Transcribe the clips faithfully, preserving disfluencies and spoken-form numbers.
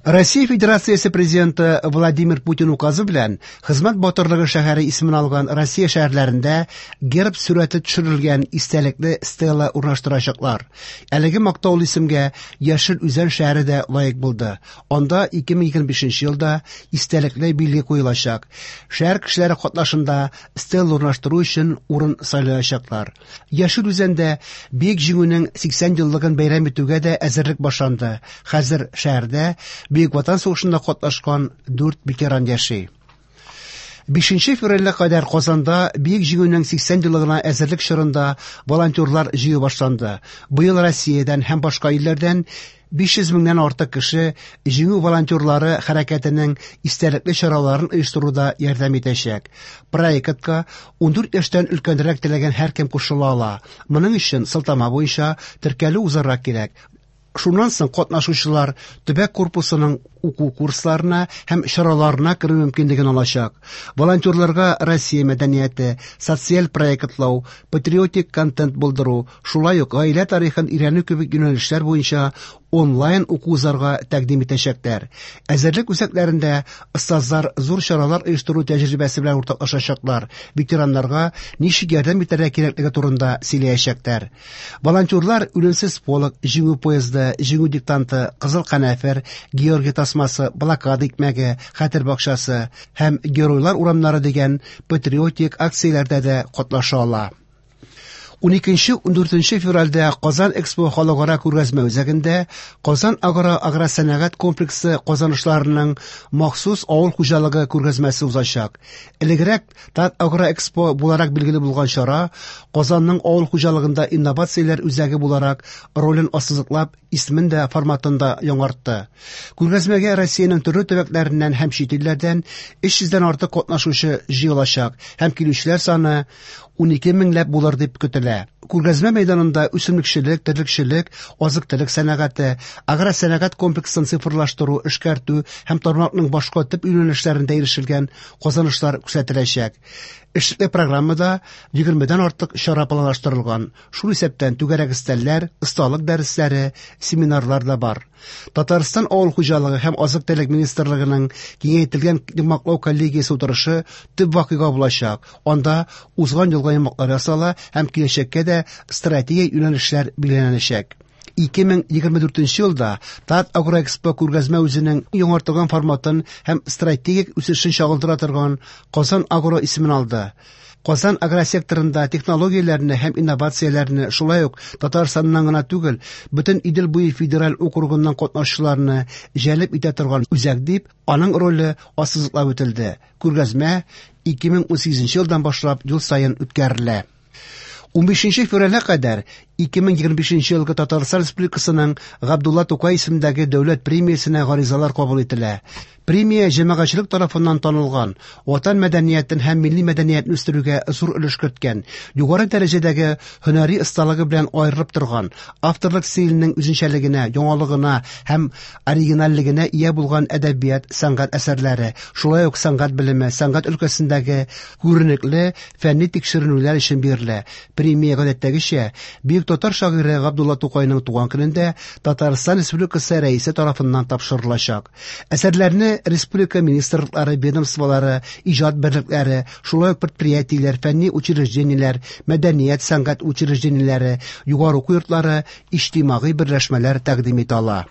Россия Федерациясе Президенты Владимир Путин указы белән Хезмәт батырлыгы шәһәре исемен алган Россия шәһәрләрендә герб сурәте төшерелгән истәлекле стела урнаштырачаклар. Әлеге мактаулы исемгә Яшел Үзән шәһәре дә лаек булды. Анда ике мең егерме бишенче елда истәлекле билге куелачак. Шәһәр кешеләре катнашында стела урнаштыру өчен урын сайлаячаклар. Яшел Үзәндә Бөек Җиңүнең сиксән еллыгын бәйрәм итүгә дә әзерлек башланды. Хәзер шәһәрдә Бөек Ватан сугышында катнашкан дүрт ветеран яши. Бишенче февральгә кадәр Казанда Бөек Җиңүнең сиксән еллыгына әзерлек чорында волонтерлар җыю башланды. Быел Россиядән һәм башка илләрдән биш йөз меңнән артык кеше Җиңү волонтерлары хәрәкәтенең истәлекле чараларын оештыруда ярдәм итәчәк. Проектка ун дүрт яшьтән өлкәнрәк теләгән һәркем кушыла ала. Моның өчен сылтама буенча теркәлү узарга кирәк. Шуннан соң катнашучылар төбәк корпусының уку курсларына һәм чараларына керү мөмкинлеген алачак. Волонтерларга Россия мәдәнияте, социаль проектлау, патриотик контент булдыру, шулай ук гаилә тарихын өйрәнү кебек юнәлешләр буенча онлайн уку узарга тәкъдим итәчәкләр. Әзерлек үзәкләрендә остазлар зур чаралар оештыру тәҗрибәсе белән уртаклашачаклар, ветераннарга ничек ярдәм итәргә кирәклеге турында сөйләячәкләр. Волонтерлар үлемсез полк, Җиңү поезды, Җиңү диктанты, Кызыл канәфер, Георгий тасмасы, блокада икмәге, Хәтер бакчасы һәм Геройлар урамнары дигән патриотик акцияләрдә дә катнаша ала. Ун икенче, ун дүртенче февральдә Казан Экспо халыкара күргәзмә үзәгендә Казан Агро агросәнәгать комплексы казанышларының махсус авыл хуҗалыгы күргәзмәсе узачак. Элегрәк Тат Агро Экспо буларак билгеле булган чара Казанның авыл хуҗалыгында инновацияләр үзәге буларак ролен ассызыклап, исемен дә форматын да яңартты. Күргәзмәгә Россиянең төрле төбәкләреннән һәм чит илләрдән өч йөздән артык катнашучы җыелачак һәм килүчеләр саны ун ике меңләп булыр дип көтелә. Күргәзмә мәйданында үсемлекчелек, терлекчелек, азык-төлек сәнәгате, агросәнәгать комплексын цифрлаштыру, эшкәртү һәм тармакның башка төп юнәлешләрендә ирешелгән казанышлар күрсәтеләчәк. Эшлекле программада егермедән артык чара планлаштырылган. Шул исәптән түгәрәк өстәлләр, осталык дәресләре, семинарлар да бар. Татарстан авыл хуҗалыгы һәм азык-төлек министрлыгының киңәйтелгән йомгаклау коллегиясе утырышы төп вакыйга булачак. Анда узган елгы йомгаклар ясала һәм киләчәккә дә стратегия юнәлешләр билгеләнәчәк. Ике мең егерме дүртенче елда Тат Агроэкспо күргәзмә үзенең яңартылган форматын һәм стратегик үсешен чагылдыра торган Казан Агро исемен алды. Казан агросекторында технологияләрне һәм инновацияләрне, шулай ук Татарстаннан гына түгел, бөтен Идел буе федераль округыннан катнашучыларны җәлеп итә торган үзәк дип, аның роле ассызыклап үтелде. Күргәзмә ике мең унсигезенче елдан башлап ел саен үткәрелә. Унбишенче февральгә кадәр ике мең егерме бишенче елгы Татарстан Республикасының Габдулла Тукай исемендәге дәүләт премиясенә гаризалар кабул ителә. Премия җәмәгатьчелек тарафыннан танылган, ватан мәдәниятен һәм милли мәдәниятне үстерүгә зур өлеш керткән, югары дәрәҗәдәге һөнәри осталыгы белән аерылып торган, авторлык стиленең үзенчәлегенә, яңалыгына һәм оригинальлегенә ия булган әдәбият, сәнгать әсәрләре, шулай ук сәнгать белеме, сәнгать өлкәсендәге күренекле фәнни тикшеренүләр өчен бирелә. Премия гадәттәгечә бөек татар шагыйре Габдулла Тукайның туган көнендә Татарстан Республикасы рәисе тарафыннан тапшырылачак. Әсәрләрне республика министрлыклары, ведомстволары, иҗат берлекләре, шулай ук предприятиеләр, фәнни учреждениеләр, мәдәният, сәнгать учреждениеләре, югары уку йортлары, иҗтимагый берләшмәләр тәкъдим итә ала.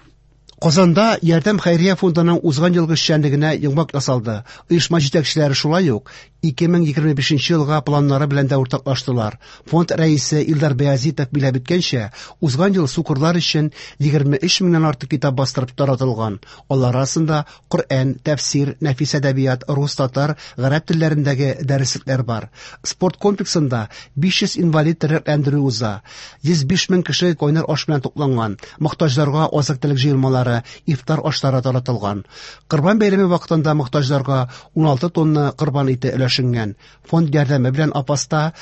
Казанда Ярдәм хәйрия фондының узган елгы эшчәнлегенә йомгак ясалды. Оешма җитәкчеләре шулай ук ике мең егерме бишенче елга планнары белән дә уртаклаштылар. Фонд рәисе Илдар Баязитов билгеләп үткәнчә, узган ел сукырлар өчен егерме өч меңнән артык китап бастырып таратылган. Алар арасында Коръән, тәфсир, нәфис әдәбият, рус, татар, гарәп телләрендәге дәреслекләр бар. Спорт комплексында биш йөз инвалид тернәкләндерү уза. Йөз биш мең кеше кайнар аш белән тукланган. Мохтаҗларга азык-төлек җыелмалары, ифтар ашлары таратылган. Корбан бәйрәме вакытында мохтаҗларга ун алты тонна корбан ите өләшенгән. Фонд ярдәме белән Апаста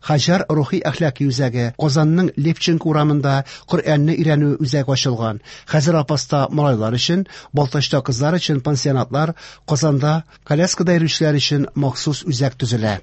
Хаҗар рухи әхлаки үзәге, Казанның Левченко урамында Коръәнне өйрәнү үзәге ачылган. Хәзер Апаста малайлар өчен, Балтачта кызлар өчен пансионатлар, Казанда коляскада йөрүчеләр өчен махсус үзәк төзелә.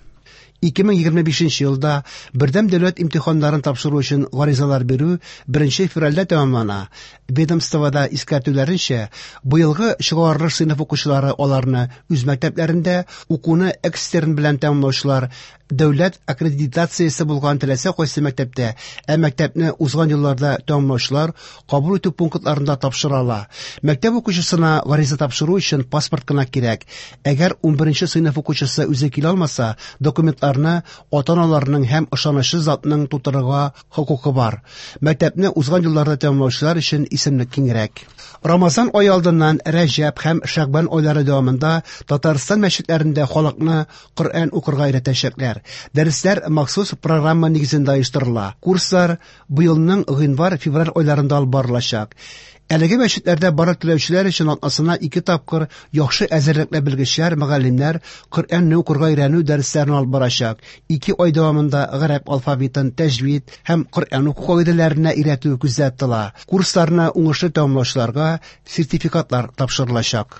ике мең егерме бишенче елда бердәм дәүләт имтиханнарын тапшыру өчен гаризалар бирү беренче февральдә тәмамлана. Ведомствода искәртүләренчә, быелгы чыгарылыш сыйныф укучылары аларны үз мәктәпләрендә, укуны экстерн белән тәмамлаучылар дәүләт аккредитациясе булган теләсә кайсы мәктәптә, ә мәктәпне узган елларда тәмамлаучылар кабул итү пунктларында тапшыра ала. Мәктәп укучысына гариза тапшыру өчен паспорт кына кирәк. Әгәр ун беренче сыйныф укучысы үзе килә алмаса, документларны ата-аналарының һәм ышанычлы затның тутырырга хокукы бар. Мәктәпне узган елларда тәмамлаучылар өчен исемлек киңрәк. Рамазан ае алдыннан Рәҗәб һәм Шәгъбан айлары дәвамында Татарстан мәчетләрендә халыкны Коръән укырга өйрәтәчәкләр. Дәресләр махсус программа нигезендә оештырыла. Курслар быелның гыйнвар-февраль айларында алып барылачак. Әлеге мәчетләрдә барлык теләүчеләр өчен атнасына ике тапкыр яхшы әзерлекле белгечләр, мөгаллимнәр Коръәнне укырга өйрәнү дәресләрен алып барачак. Ике ай дәвамында гарәп алфавитын, тәҗвид һәм Коръән уку кагыйдәләренә өйрәтү күздә тотыла. Курсларны уңышлы тәмамлаучыларга сертификатлар тапшырылачак.